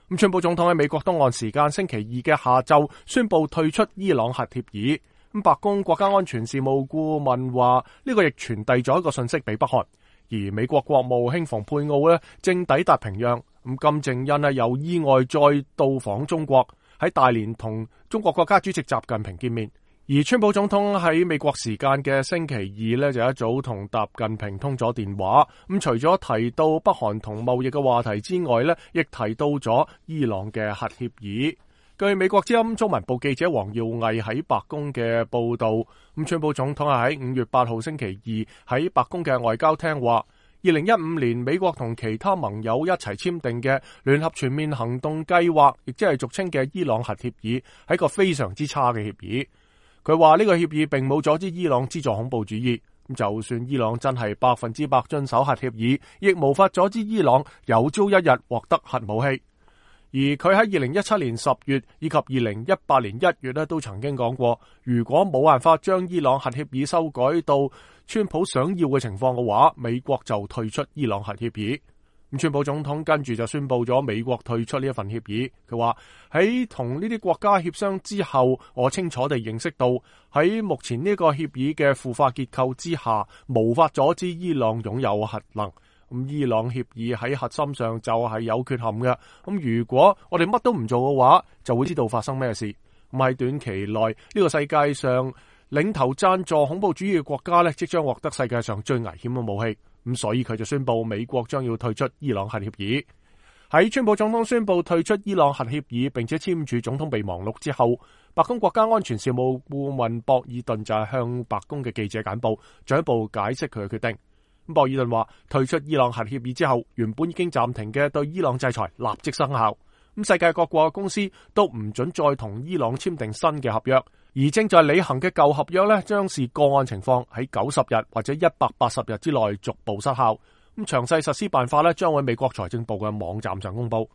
咁川普總統喺美國東岸時間星期二嘅下晝宣布退出伊朗核協議。咁白宮國家安全事務顧問話呢個亦傳遞咗一個信息俾北韓。而美國國務卿蓬佩奧呢正抵達平壤。咁金正恩呢又意外再到訪中國，喺大連同中國國家主席習近平見面。而川普總統喺美國時間嘅星期二呢，就一早同習近平通咗電話。咁除咗提到北韓同貿易嘅話題之外呢，亦提到咗伊朗嘅核協議。據美國之音中文部記者黃耀毅喺白宮嘅報道，咁川普總統係喺5月8號星期二喺白宮嘅外交廳話，2015年美國同其他盟友一齊簽訂嘅聯合全面行動計劃，亦即係俗稱嘅伊朗核協議，係一個非常之差嘅協議。佢話呢個協議並冇阻止伊朗資助恐怖主義，就算伊朗真係100%遵守核協議，亦無法阻止伊朗有朝一日獲得核武器。而佢喺2017年10月以及2018年1月都曾經講過，如果冇辦法將伊朗核協議修改到川普想要嘅情況嘅話，美國就退出伊朗核協議。咁川普總統跟住就宣布咗美國退出呢一份協議。佢話喺同呢啲國家協商之後，我清楚地認識到喺目前呢個協議嘅腐化結構之下，無法阻止伊朗擁有核能。咁伊朗協議喺核心上就係有缺陷嘅。咁如果我哋乜都唔做嘅話，就會知道發生咩事。咁喺短期內，呢個世界上領頭贊助恐怖主義嘅國家呢，即將獲得世界上最危險嘅武器。咁所以佢就宣布美國將要退出伊朗核協議。喺川普總統宣布退出伊朗核協議並且簽署總統備忘錄之後，白宮國家安全事務顧問博爾頓就係向白宮嘅記者簡報，進一步解釋佢嘅決定。博爾頓話退出伊朗核協議之後，原本已經暫停嘅對伊朗制裁立即生效。世界各國嘅公司都唔准再同伊朗簽訂新嘅合約，而正在履行嘅舊合約呢，將視個案情況喺90日或者180日之內逐步失效。咁詳細實施辦法呢，將喺美國財政部嘅網站上公布。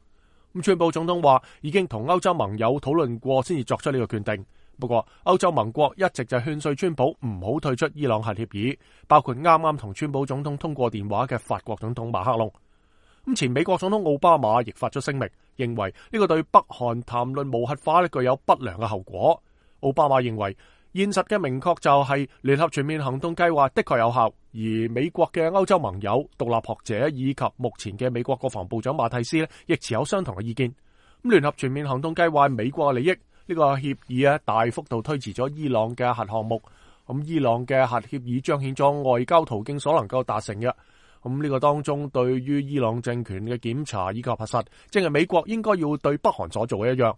咁川普總統話已經同歐洲盟友討論過，先至作出呢個決定。不過歐洲盟國一直就勸說川普唔好退出伊朗核協議，包括啱啱同川普總統通過電話嘅法國總統馬克龍。咁前美國總統奧巴馬亦發出聲明，認為呢個對北韓談論無核化呢具有不良嘅後果。奧巴馬認為現實嘅明確就係聯合全面行動計劃的確有效，而美國嘅歐洲盟友、獨立學者以及目前嘅美國國防部長馬蒂斯呢亦持有相同嘅意見。咁聯合全面行動計劃係美國嘅利益。呢個協議大幅度推遲咗伊朗嘅核項目。咁伊朗嘅核協議彰顯咗外交途徑所能夠達成嘅。咁呢個當中對於伊朗政權嘅檢查以及核實，正係美國應該要對北韓所做嘅一樣。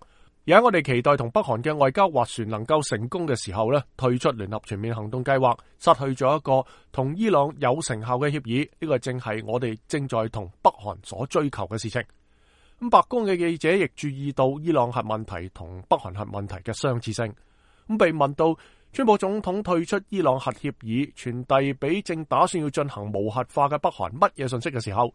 而喺我哋期待同北韓嘅外交斡旋能夠成功嘅時候呢，退出聯合全面行動計劃，失去咗一個同伊朗有成效嘅協議。呢個正係我哋正在同北韓所追求嘅事情。咁白宮嘅記者亦注意到伊朗核問題同北韓核問題嘅相似性。咁被問到川普總統退出伊朗核協議傳遞俾正打算要進行無核化嘅北韓乜嘢信息嘅時候，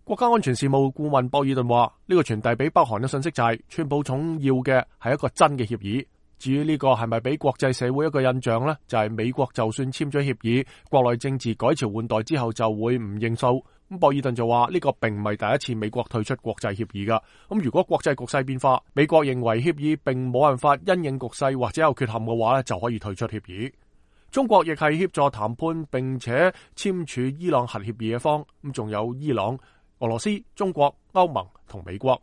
國家安全事務顧問博爾頓話呢個傳遞俾北韓嘅信息就係川普總要嘅係一個真嘅協議。至於呢個係咪俾國際社會一個印象呢？就係美國就算簽咗協議，國內政治改朝換代之後就會唔認數。咁博爾頓就話呢個並唔係第一次美國退出國際協議噶。咁如果國際局勢變化，美國認為協議並冇辦法因應局勢或者有缺陷嘅話就可以退出協議。中國亦係協助談判並且簽署伊朗核協議嘅方。咁仲有伊朗、俄羅斯、中國、歐盟同美國。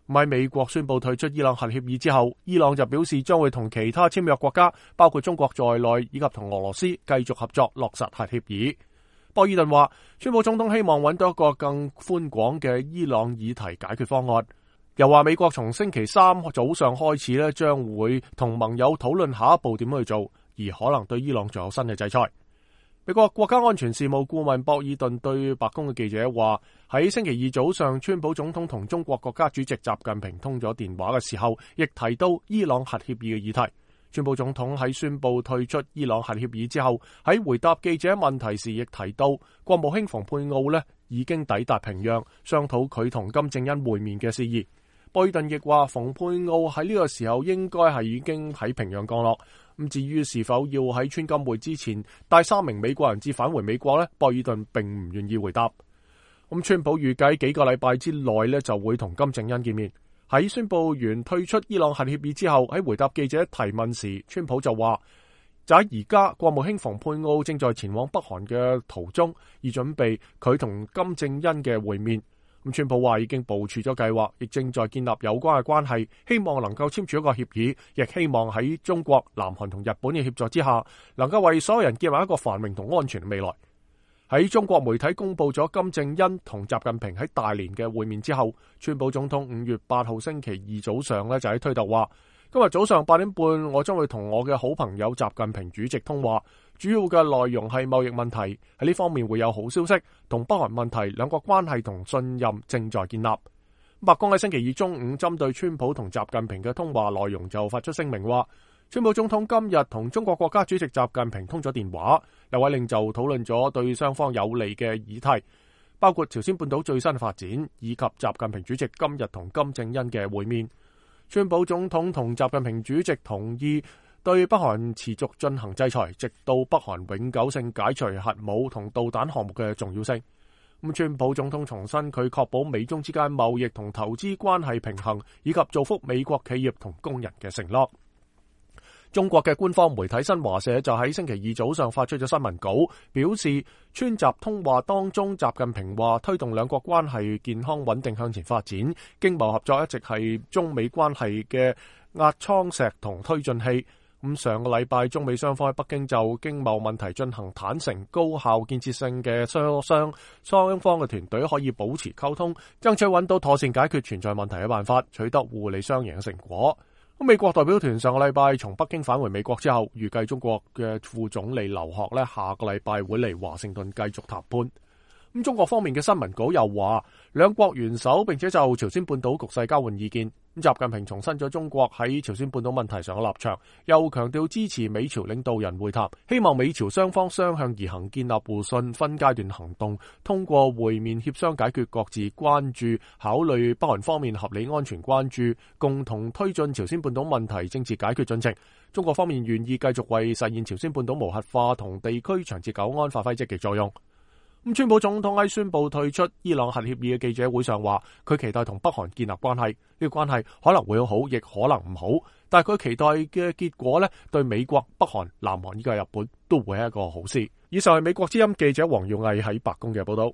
喺美國宣布退出伊朗核協議之後，伊朗就表示將會同其他簽約國家，包括中國在內，以及同俄羅斯繼續合作落實核協議。博爾頓話，川普總統希望揾到一個更寬廣嘅伊朗議題解決方案。又話美國從星期三早上開始咧，將會同盟友討論下一步點去做，而可能對伊朗仲有新嘅制裁。美國國家安全事務顧問博爾頓對白宮嘅記者話，喺星期二早上，川普總統同中國國家主席習近平通咗電話嘅時候，亦提到伊朗核協議嘅議題。川普總統喺宣布退出伊朗核協議之後，喺回答記者問題時，亦提到國務卿蓬佩奧已經抵達平壤，商討佢同金正恩會面嘅事宜。博爾頓亦話，蓬佩奧喺呢個時候應該係已經喺平壤降落。咁至於是否要喺川金會之前帶3名美國人質返回美國呢？博爾頓並唔願意回答。咁川普預計幾個禮拜之內就會同金正恩見面。喺宣布完退出伊朗核協議之後，喺回答記者提問時，川普就話就喺而家，國務卿蓬佩奧正在前往北韓嘅途中，以準備佢同金正恩嘅會面。咁川普話已經部署咗計劃，亦正在建立有關嘅關係，希望能夠簽署一個協議，亦希望喺中國、南韓同日本嘅協助之下，能夠為所有人建立一個繁榮同安全嘅未來。喺中國媒體公布咗金正恩同習近平喺大連嘅會面之後，川普總統5月8號星期二早上就喺推特話，今日早上8點半，我將會同我嘅好朋友習近平主席通話，主要嘅內容係貿易問題，喺呢方面會有好消息，同北韓問題兩國關係同信任正在建立。白宮喺星期二中午針對川普同習近平嘅通話內容就發出聲明話，川普總統今日同中國國家主席習近平通咗電話，兩位領袖討論咗對雙方有利嘅議題，包括朝鮮半島最新發展，以及習近平主席今日同金正恩嘅會面。川普總統同習近平主席同意對北韓持續進行制裁，直到北韓永久性解除核武同導彈項目嘅重要性。川普總統重申佢確保美中之間貿易同投資關係平衡，以及造福美國企業同工人嘅承諾。中國嘅官方媒體新華社就喺星期二早上發出咗新聞稿，表示川習通話當中，習近平話推動兩國關係健康穩定向前發展，經貿合作一直係中美關係嘅壓艙石同推進器。上個禮拜，中美雙方喺北京就經貿問題進行坦誠、高效、建設性嘅磋商，雙方嘅團隊可以保持溝通，爭取揾到妥善解決存在問題嘅辦法，取得互利雙贏嘅成果。美國代表團上個禮拜從北京返回美國之後，預計中國嘅副總理劉鶴下個禮拜會嚟華盛頓繼續談判。中國方面嘅新聞稿又話，兩國元首並且就朝鮮半島局勢交換意見。習近平重申咗中國喺朝鮮半島問題上嘅立場，又強調支持美朝領導人會談，希望美朝雙方相向而行，建立互信，分階段行動，通過會面協商解決各自關注，考慮北韓方面合理安全關注，共同推進朝鮮半島問題政治解決進程。中國方面願意繼續為實現朝鮮半島無核化同地區長治久安發揮積極作用。川普總統喺宣布退出伊朗核協議嘅記者會上話，佢期待同北韓建立關係，呢個關係可能會好，亦可能唔好，但係佢期待嘅結果對美國、北韓、南韓以及日本都會係一個好事。以上係美國之音記者黃耀毅喺白宮嘅報道。